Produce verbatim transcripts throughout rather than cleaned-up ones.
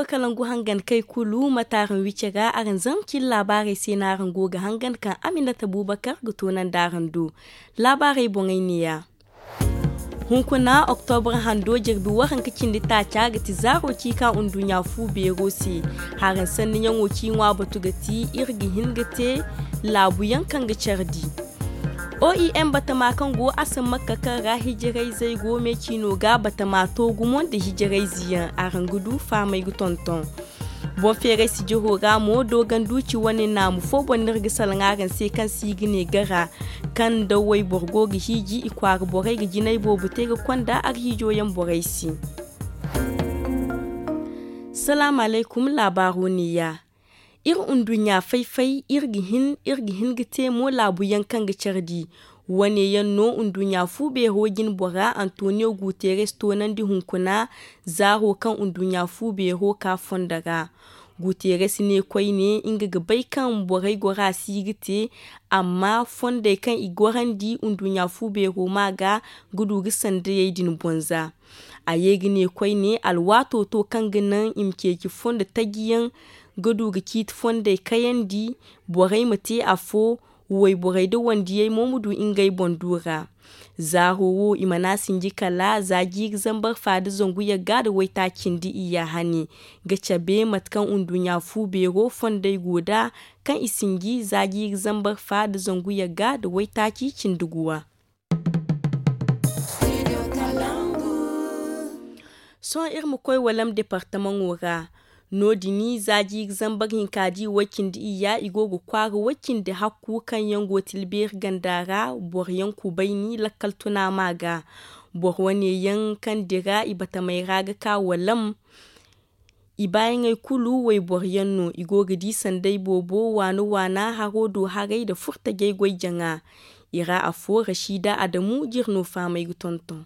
Kala ngu hangan kay kulu mate araŋ wice ga araŋ zama cin laabaarey se no araŋ go ga hangan kaŋ aminata buubakar ga toonandi araŋ do. Laabaarey boŋey neeya. Hunkuna oktobra hando jirbi waranka cindi taaca ga ti zaaro ci ka nduɲɲa fu beero se. Haraŋ sanniyaŋo ci ŋwa batu ga ti iri ga hin ga te laabuyaŋ kaŋ ga care di. Oem batama kaŋ go asamakka kaŋ ra hijirayzey go me ciino ga batama to gumo nda hijirayze yaŋ araŋ ga du faamey ga tonton. Boŋ feeray sijiro ra mo dooganduuci wane naamu fo boŋ no iri ga salaŋ araŋ se kaŋ se i ga ne gara kaŋ nda wayboro go ga hiiji i kwaara borey ga jinay boobo te ga konda arhiijo yaŋ borey se. Salaamu alaykum laabaaro neeya. Iri nduɲɲa fay-fay iri ga hin iri ga hin ga te mo laabuyaŋ kaŋ ga care di. Wane yaŋ no nduɲɲa fu beero jine bora antoniyo guteres toonandi hunkuna zaaro kaŋ nduɲɲa fu beero ka fondo ra. Guteres ne koyne nga ga bay kaŋ borey gora si ga te amma fondey kaŋ i gorandi nduɲɲa fu beero ma ga ga du ga sandayey din boŋ za. A ye ga ne koyne alwaato to kaŋ ga naŋ i ma ceeci fondo taji yaŋ ga du ga ciiti fondey kayandi borey ma te afo. Wayborey nda wandiyey mo ma du ngey boŋ du ra. Zaaro wo i mana sinji kala za jiiri zambar fa nda zangu yagga nda waytaaci cindi iyya hane ga cabe mate kaŋ nduɲɲa fu beero fondey go nd'a kaŋ i sinji za jiiri zambar fa nda zangu yagga nda waytaaci cindi guwa. Sohõ iri ma koy walam departamaŋo ra. No- din za jiiri zambar hinka di way cindi iyya i go ga kwaara way cindi hakku kaŋ yaŋ go tilbeeri ganda ra boro yaŋ kubayni lakkal tuna ma ga. Boro wane yaŋ kaŋ dira i batamey ra ga ka walam. I baayaŋey kulu wayboro yaŋ no i go ga di sanday boobo waana waana haro do haray nda furtajey goy jaŋa. I ra afo rasiida adamu jirno faamay ga tonton.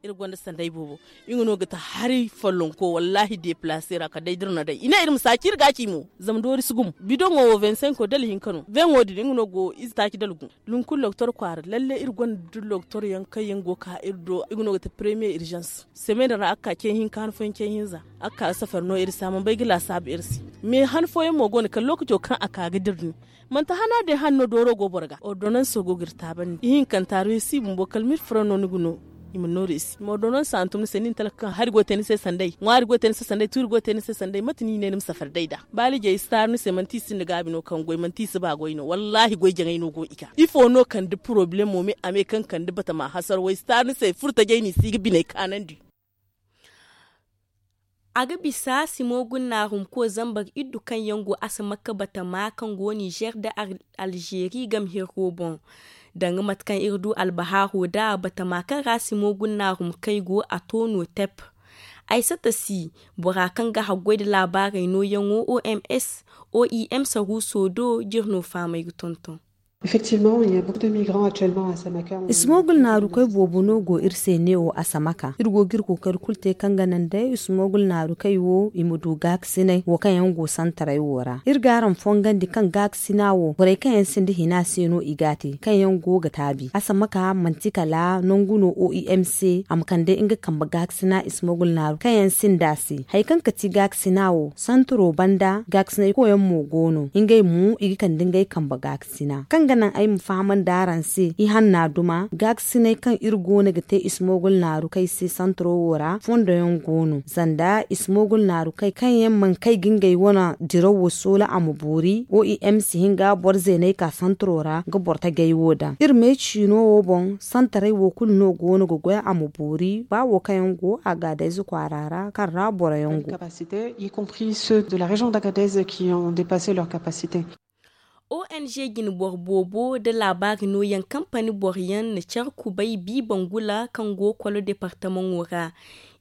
Iri gonda sanday boobo. Nga no ga ta hari follonko wallaahi deplaase ra kala day da iri na day i ne iri ma saaci iri ga a ci mo. Zama doori si gumo bidoŋo wo vingt cinq dala hinka no vingt wo din nga no go ize taaci dala gu. Lunkul doktor kwaara lalle iri gonda doktor yaŋ kaŋ yaŋ go ga ka iri do nga no ga ta premiye irzans. Semen ra a ga ka ce hinka han fooyaŋ ce hinza a ga ka safar no iri se a mana bay ga laasaabu iri se. Me han fooyaŋ mo go no kala lookaco kaŋ a ka ga dira din. Manti hana day han no dooro go boro ga ordonanso go ga iri taabandi ihinkanta reesi bumbo kala mil furo no ni ga no. I ma no reesi ma ordonansa hantum ni se ni na talka kaŋ hari go ga te ni se sanday ŋwaari go ga te ni se sanday tuuri go ga te ni se sanday mate no i ne ni ma safari day nd'a. Baalijey si taaru ni se manti i sinda gaabi no kaŋ goy manti i si ba goy no wallaahi goy jaŋay no go i ga ifo no kande porobalemo me a me kaŋ kande batama hasara way si taaru ni se furtajey no i si ga biney kaanandi. A ga bisa simo gunnaarum ko zambar iddu kaŋ yaŋ go asamakka batama kaŋ go nizer nda alzeeri game hirro boŋ. Danga mate kaŋ iri du albahaaro nd'a batama kaŋ ra simo gunnaarum kay go a to no tep. Aysata si bora kaŋ ga haggoy nda laabaarey nooyaŋo oms oem saruuso do jiri no faamay ga tonton. Effectivement il y a beaucoup de migrants actuellement à Samaka. Ismogul naarukey boobo no go iri se neewo asamaka iri go ga iri kookari kulu te kaŋ ga naŋ day ismogul naarukey wo i ma du gaakasinay wo kaŋ yaŋ go santaray wo ra iri ga araŋ fongandi kaŋ gaakasina wo borey kaŋ yaŋ sinda hina se no i ga a te kaŋ yaŋ go ga taabi asamaka manti kala nangu no oem se a ma kande nga kambe gaakasina ismogul naaru kaŋ yaŋ sinda a se hari kaŋ ga ti gaakasina wo santaro banda gaakasinay koyaŋ mo go no ngey mo i ga kande ngey kambe gaakasina kaŋ ga naŋ ay ma fahamandi araŋ se i hanna duma gaakasinay kaŋ iri go no ga te ismogul naarukey se santaro wo ra fondo yaŋ go no zanda ismogul naarukey kaŋ yaŋ mana kay ga ngey wane diraw wo soola a ma boori oem si hin ga boro zeeney ka santaro ra ga boro tajey wo daŋ iri me ciino wo boŋ santaray wo kulu no go no ga goy a ma boori ba wo kaŋ yaŋ go a ga adayze kwaara ra kaŋ ra boro yaŋ go. Capacité y compris ceux de la région d'Agadez qui ont dépassé leur capacité. Ong jine boro boobo nda laabaari nooyaŋ kampani boro yaŋ na care kubay bi bangula kaŋ go kolo departamaŋo ra.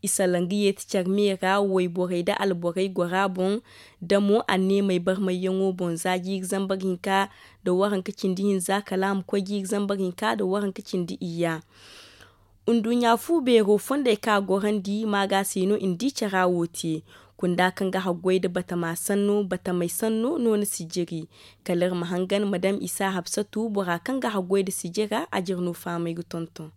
I salaŋ ga yeeti care me ra wayborey nda alborey gora boŋ damo anneemey barmayyaŋo boŋ za jiiri zambar hinka nda waranka cindi hinza kala a ma koy jiiri zambar hinka nda waranka cindi iyya. Nduɲɲa fu beero fondey kaŋ a gorandi maaga se no i na di cara wo te. Kunda kaŋ ga haggoy nda batama sanno batamey sanno no ni si jiri. Kala iri ma hangan madam isa habsatu bora kaŋ ga haggoy nda sijira a jire no fahamay ga tonton.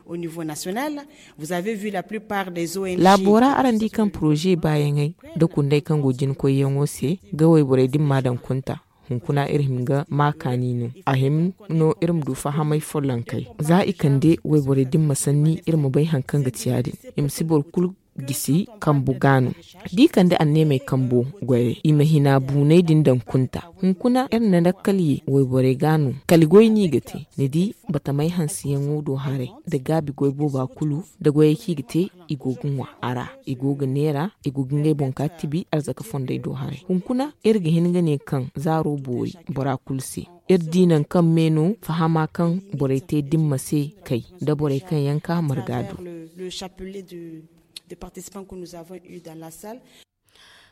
Au niveau national, vous avez vu la plupart des O N G. Laabo ra araŋ di kaŋ poroze baayaŋey nda kundey kaŋ go jina koyyaŋo se ga wayborey dimma daŋ kunta. Hunkuna iri hin ga ma kaani no a hima no iri ma du fahamay follonkey za i kande wayborey dimma sanni iri ma bay hari kaŋ ga ti ya- din. I ma si boro kulu gisi kambu ga no. Da i kande anneemey kambo goyey i ma hina buuney din daŋ kunta. Hunkuna iri na lakkal ye wayborey ga no kala goy no i ga te. Ni di batamey hanseyaŋo do haray nda gaabi goy booba kulu nda goyey kaŋ i ga te i go ga ŋwa a ra. I go ga neera i go ga ngey boŋ ka tibi arzaka fondey do haray. Hunkuna iri ga hin ga ne kaŋ zaaro boori bora kulu se. Iri di nangu kaŋ me no fahama kaŋ borey te dimma se kay nda borey kaŋ yaŋ ka marga do.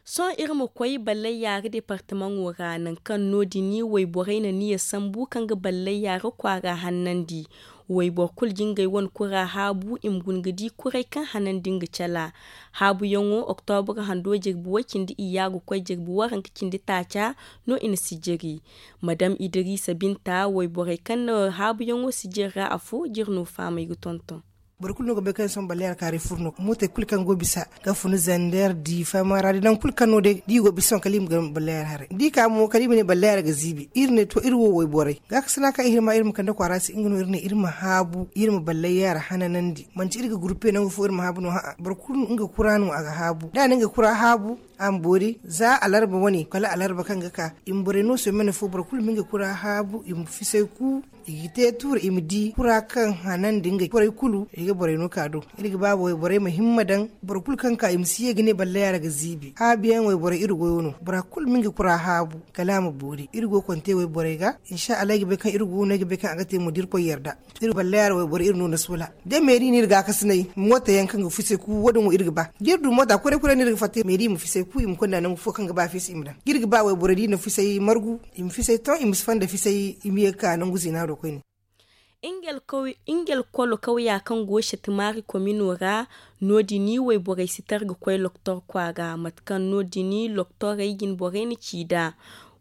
Sohõ iri ma koy ballayya ga departamaŋo ra nangu kaŋ no- din wayborey na niya sambu kaŋ ga ballayya ga kwaara hannandi. Wayboro kulu ga ngey wane kura haabu i ma guna ga di kuray kaŋ hanandi nga cala. Haabuyaŋo oktobra hando jirbi way cindi iyya ga koy jirbi waranka cindi taaca no i na sijiri. Madam idirisa binta wayborey kaŋ na haabuyaŋo sijiri ra afo jiri no faamay ga tonton. Boro kulu no ga bay kaŋ sohõ ballayar kaaray furo no mootey kulu kaŋ go bisa ga fun zander diifa maara da nangu kulu kaŋ no day da i go bisa sohõ kala i ma ga ballayar haray da i ka mo kala i ma ne ballayar ga ziibi iri ne to iri wo wayborey gaakasina kaŋ i hima iri ma kande kwaara se nga no iri ne iri ma haabu iri ma ballayar hananandi manti iri ga gurpe nangu fo iri ma haabu no ha'a boro kulu nga kura no a ga haabu da a na nga kura haabu a ma boori za alarba wane kala alarba kaŋ ga ka i ma borey no somene fo boro kulu ma nga kura haabu i ma fisay ku i ga te tuura i ma di kura kaŋ hanandi ngey borey kulu i ga borey no ka do. Iri ga ba borey ma himma daŋ boro kulu kaŋ ka i ma si ye ga ne ballayara ga ziibi haabiyaŋ wayborey iri goyo no bora kulu ma nga kura haabu kala a ma boori iri go konte wayborey ga. Insa allah ay ga bay kaŋ iri go no ay ga bay kaŋ a ga te mo da irkoy yarda. Iri ballayara wayboro iri no na soola da meeri no iri gaakasinay mooto yaŋ kaŋ ga fisay ku wo- din wo iri ga ba da iri du moota kuray kuray no iri ga fatta meeri i ma fisay ku i ma konda nangu fo kaŋ ga ba fiisa i ma daŋ da iri ga ba wayboro da i na fisay margu i ma fisay ton i ma si fonda fisay i ma ye ga ka nangu ziina do koyne. Ingel kolo kawya kaŋ go setimaari komino ra no- din wayborey si tar ga koy loktor kwaara mate kaŋ no- din loktorey jinborey na ci nd'a.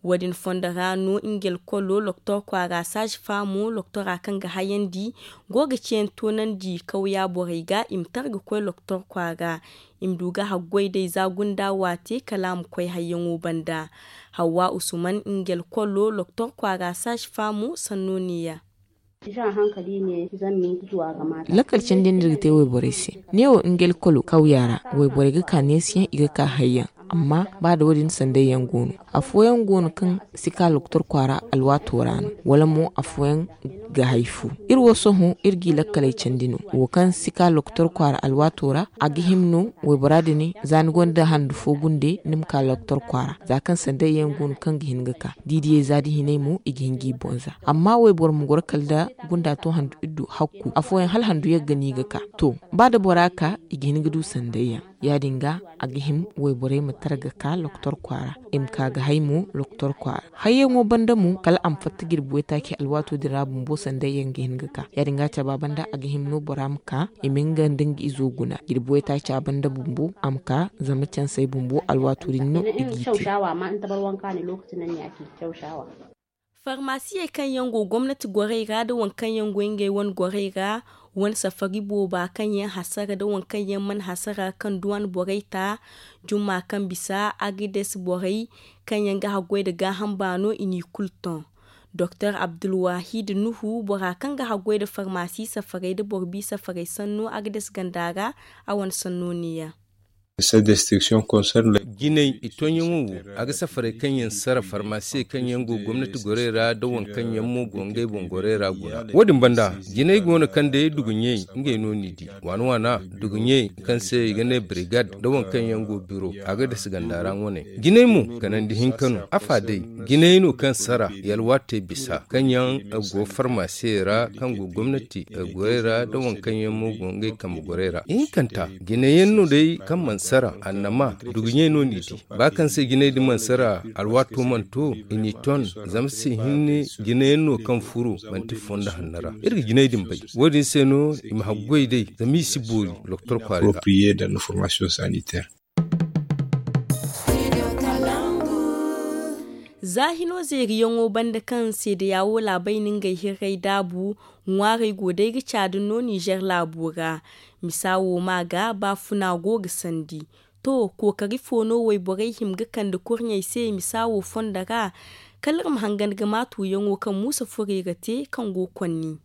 Wo- din fondo ra no ingel kolo loktor kwaara saazi faamo loktora kaŋ ga hayandi go ga ceeyaŋ toonandi kawya borey ga i ma tar ga koy loktor kwaara i ma du ga haggoy day za gunda waate kala a ma koy hayyaŋo banda. Hawwa usuman ingel kolo loktor kwaara saazi faamo sanno neeya. Lakkal cindi no iri ga te wayborey se. Neewo nga lakkalo kawya ra wayborey ga ka neesiyaŋ i ga ka hayyaŋ. Amma ba da wo- din sanday yaŋ go no afooyaŋ go no kaŋ si ka loktor kwaara alwaato ra no wala mo afooyaŋ ga hay fu. Iri wo sohõ iri g'i lakkaley candi no wo kaŋ si ka loktor kwaara alwaato ra a ga hima no waybora din za ni gonda handu fo gunde ni ma ka loktor kwaara za kaŋ sanday yaŋ go no kaŋ ga hin ga ka da i diyey za da hinay mo i ga hin g'i boŋ za. Amma wayboro ma goro kala nda gunda to handu iddu hakku afooyaŋ hala handu yagga no i ga ka. To ba da bora ka i ga hin ga du sanday yaŋ ya- din ga a ga hima wayborey ma tara ga ka loktor kwaara i ma ka ga hay mo loktor kwaara. Hayyaŋo banda mo kala a ma fatta jirbi waytaaci alwaato din ra bumbo sanday yaŋ ga hin ga ka ya- din ga caba banda a ga hima no bora ma ka i ma nga nda nga izo guna jirbi waytaaca banda bumbo a ma ka zama cansey bumbo alwaato din no i g'i te. Farmasiyey kaŋ yaŋ go gomnati gorey ra nda waŋ kaŋ yaŋ go ngey wane gorey ra wane safari booba kaŋ yaŋ hasara nda waŋ kaŋ yaŋ mana hasara kaŋ duwan borey ta jumma kaŋ bisa agades borey kaŋ yaŋ ga haggoy nda gaaham baano i n'i kulu ton. Doktor abdulwahid nuhu bora kaŋ ga haggoy nda farmasi safarey nda boro bi safarey sanno agades ganda ra a wane sanno neeya. Jinay i tonyaŋo wo a ga safarey kaŋ yaŋ sara farmasiyey kaŋ yaŋ go gomnati gorey ra nda waŋ kaŋ yaŋ mo go ngey boŋ gorey ra guna. Wo- din banda jinay go no kaŋ day duguɲey ngey no n'i di waana waana duguɲey kaŋ se i ga ne brigad nda waŋ kaŋ yaŋ go biro a ga dasa ganda ra wane. Jinay mo kanandi hinka no afa day jinay no kaŋ sara yalwaatey bisa kaŋ yaŋ go farmasiyey ra kaŋ go gomnati gorey ra nda waŋ kaŋ yaŋ mo go ngey kambe gorey ra ihinkanta. Jinayaŋ no day kaŋ mana sara annama duguɲey no n'i di ba kaŋ se jinay din mana sara alwaato mana to i n'i ton zama se hinne jinayaŋ no kaŋ furo manti fondo hanno ra. Iri ga jinay din bay wo- din se no i ma haggoy day zama i si boori doktor kwaara ga. Za hino zeeriyaŋo banda kaŋ seedeya wo laabay na ngey hirray daabu, ŋwaarey go day ga caadi no nizer laabo ra. Misa wo ma ga baafuna go ga sandi. To, kookari fo no wayborey hima ga kande kurɲey se misa wo fondo ra? Kala iri ma hangan ga maatuyaŋo kaŋ muusa furo i ga te kaŋ go konni.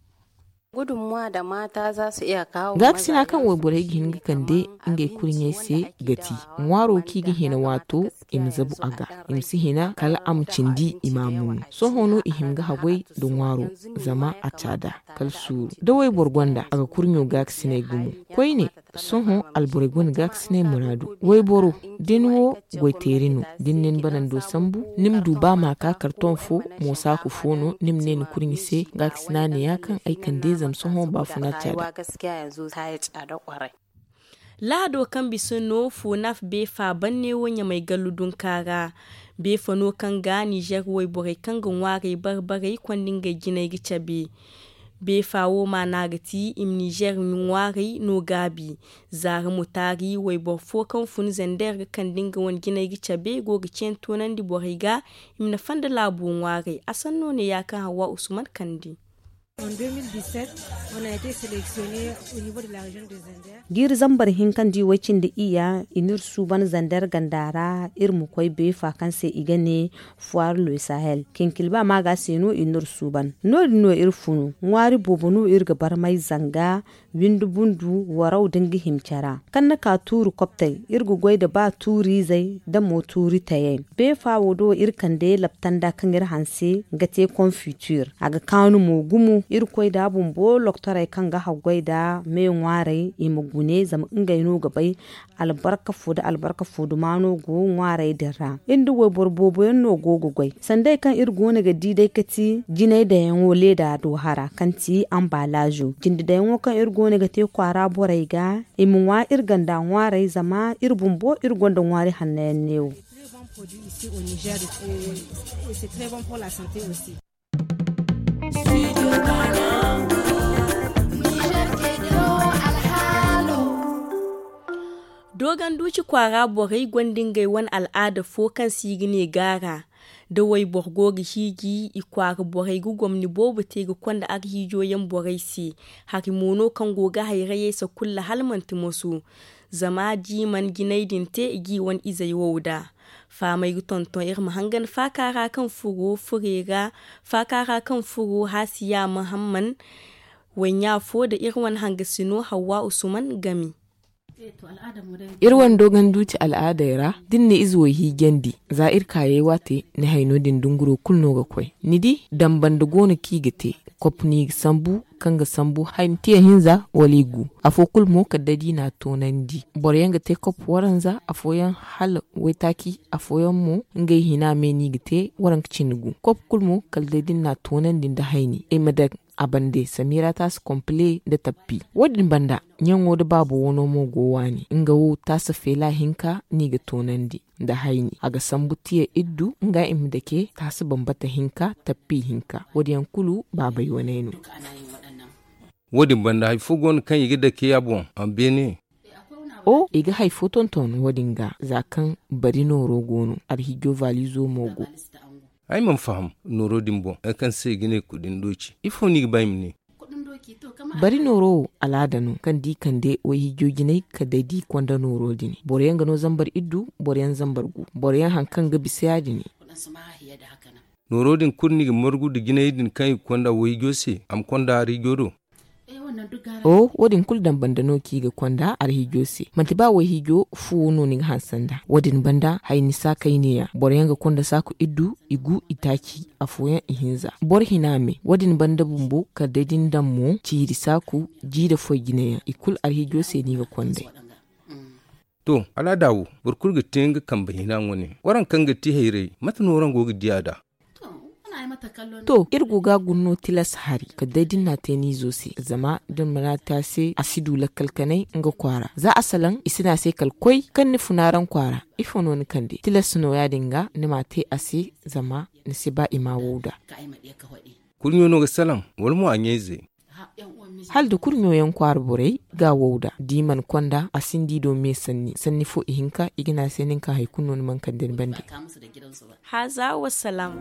Gaakasina kaŋ wayborey ga hin ga kande ngey kurɲey se ga ti ŋwaaro kaŋ i ga hina waato, i ma zabu a ga, i ma si hina kala a ma cindi i ma a munu. Sohõ no i hin ga haggoy nda ŋwaaro, zama a caada kala suuru. Da wayboro gonda a ga kurɲo gaakasiney gumo. Koyne, sohõ alborey gonda gaakasiney muraadu. Wayboro, da ni wo goyteeri no, da ni ne ni banando sambu, ni ma du ba ma ka kartoŋ fo, mo saaku fo no ni ma ne ni kurɲi se. Gaakasina ne ya kaŋ ay kande zama sohõ baafuna caada. Lahado kaŋ bisa no fo nafa beefa banne wo ɲamay gallu dunka ra. Beefa no kaŋ ga nizer wayborey kaŋ ga ŋwaarey barbarey konda ngey jinay ga cabe. Beefa wo maana ga ti i ma nizer ŋwaarey no gaabi. Zaara mutaari wayboro fo kaŋ fun zander ga kande nga wane jinay ga cabe go ga ceeni toonandi borey ga i ma nafa nda laabo ŋwaarey. A sanno ne ya kaŋ hawwa usman kande. Jiiri zambar hinka nda i way cindi iyya i n'iri suuban zander ganda ra iri ma koy beefa kaŋ se i ga ne foir le sahel. Kinkilba maaga se no i n'iri suuban. No- din no iri funu ŋwaari boobo no iri ga barmay zanga windi bundu waraw da nga himcara kaŋ ni ka tuuri koptey. Iri ga goy nda ba tuuriizey nda mo tuuri tayey. Beefa wo do iri kande laptanda kaŋ iri hanse ga te konfitir. A ga kaanu mo gumo iri koy nda bumbo loktorey kaŋ ga haggoy nda me ŋwaarey i ma gune zama ngey no ga bay albarka fo nda albarka fo dumaano go ŋwaarey din ra. Iri nda wayboro boobo yaŋ no go ga goy sanda ay kaŋ iri go no ga di day ga ti jinay dayaŋo leeda do hara kaŋ ti anbalaazo jinde dayaŋo kaŋ iri go no ga te kwaara borey ga i ma ŋwa iri ganda ŋwaarey zama iri bumbo iri gonda ŋwaari hanno yaŋ neewo. Dooganduuci kwaara borey gonda ngey wane al'aada fo kaŋ se i ga ne gaara. Da wayboro go ga hiiji i kwaara borey ga gomni boobo te ga konda arhiijo yaŋ borey se. Hari mo no kaŋ go ga hayrayey sakulla hala manti moso. Zama da i mana jinay din te i g'i wane izey wow da. Faamay ga tonton iri ma hangan faaka ra kaŋ furo furey ra. Faaka ra kaŋ furo haasiya mahamman. Wayɲa fo nda iri wane hangasino hawwa usman game. Iri wane dooganduuti al'aadey ra da ni na ize wo hiijandi za iri kaayey waate ni hayno din dunguro kulu no ga koy. Ni di dambanda go no kaŋ i ga te. Kop no i ga sambu kaŋ ga sambu hayni tiya hinza wala i gu. Afo kulu mo kala day da i n'a toonandi. Boroyaŋ ga te kop waranza afooyaŋ hala waytaaci. Afooyaŋ mo ngey hina me no i ga te waranka cindi gu. Kop kulu mo kala day da ni n'a toonandi nda hayni ay ma daŋ a bande samira taasa kompile nda tappi. Wo- din banda ɲaŋo nda baabo wano mo go waani nga wo taasa feela hinka no i ga toonandi nda hayni a ga sambu tiya iddu nga i ma dake taasa bambata hinka tappi hinka wo- din yaŋ kulu baabay waney no. Wo- din banda hari fo go no kaŋ i ga dake a boŋ a ma beene. O i ga hari fo tonton wo- din ga za kaŋ bari nooro go no arhiijo valizo mo go. Ay mana faham nooro din boŋ hari kaŋ se i ga ne kudin doci ifo no i ga ba i ma ne? Bari nooro wo alaada no kaŋ da i kande wayhiijo jinay kala day da i konda nooro din boro yaŋ ga no zambar iddu boro yaŋ zambar gu boro yaŋ hari kaŋ ga bisa ya- din. Nooro din kulu no i ga margu nda jinay din kaŋ i ga konda wayhiijo se a ma konda arhiijo do. O wo- din kulu dambanda no kaŋ i ga konda arhiijo se manti ba wayhiijo fuwo no ni ga hanse nd'a wo- din banda hayni saakay neeya boro yaŋ ga konda saaku iddu i gu i taaci afooyaŋ i hinza boro hina me wo- din banda bumbo kala day da ni daŋ mo ciiri saaku jiire foy jinayaŋ i kulu arhiijo se no i ga konda. To alaada wo boro kulu ga te nga kambe hina wane waraŋ kaŋ ga ti hayray mate no waraŋ go ga di a da? To iri go ga a guna no tilas hari kala day da ni n'a te ni izo se zama da ni mana te a se a si du lakkal kanay nga kwaara za a salaŋ i si ne a se kala koy kaŋ ni funa araŋ kwaara. Ifo no ni kande tilas no ya- din ga ni m'a te a se zama ni si ba i ma a wow nd'a. Kurɲo no ga salaŋ wala mo a ɲayze? Hala da kurɲo yaŋ kwaara borey ga a wow nd'a da i mana konda a sinda i do me sanni sanni fo ihinka i ga ne a se nin kaŋ hari kulu no ni mana kande ni bande. Haaza wa salaam.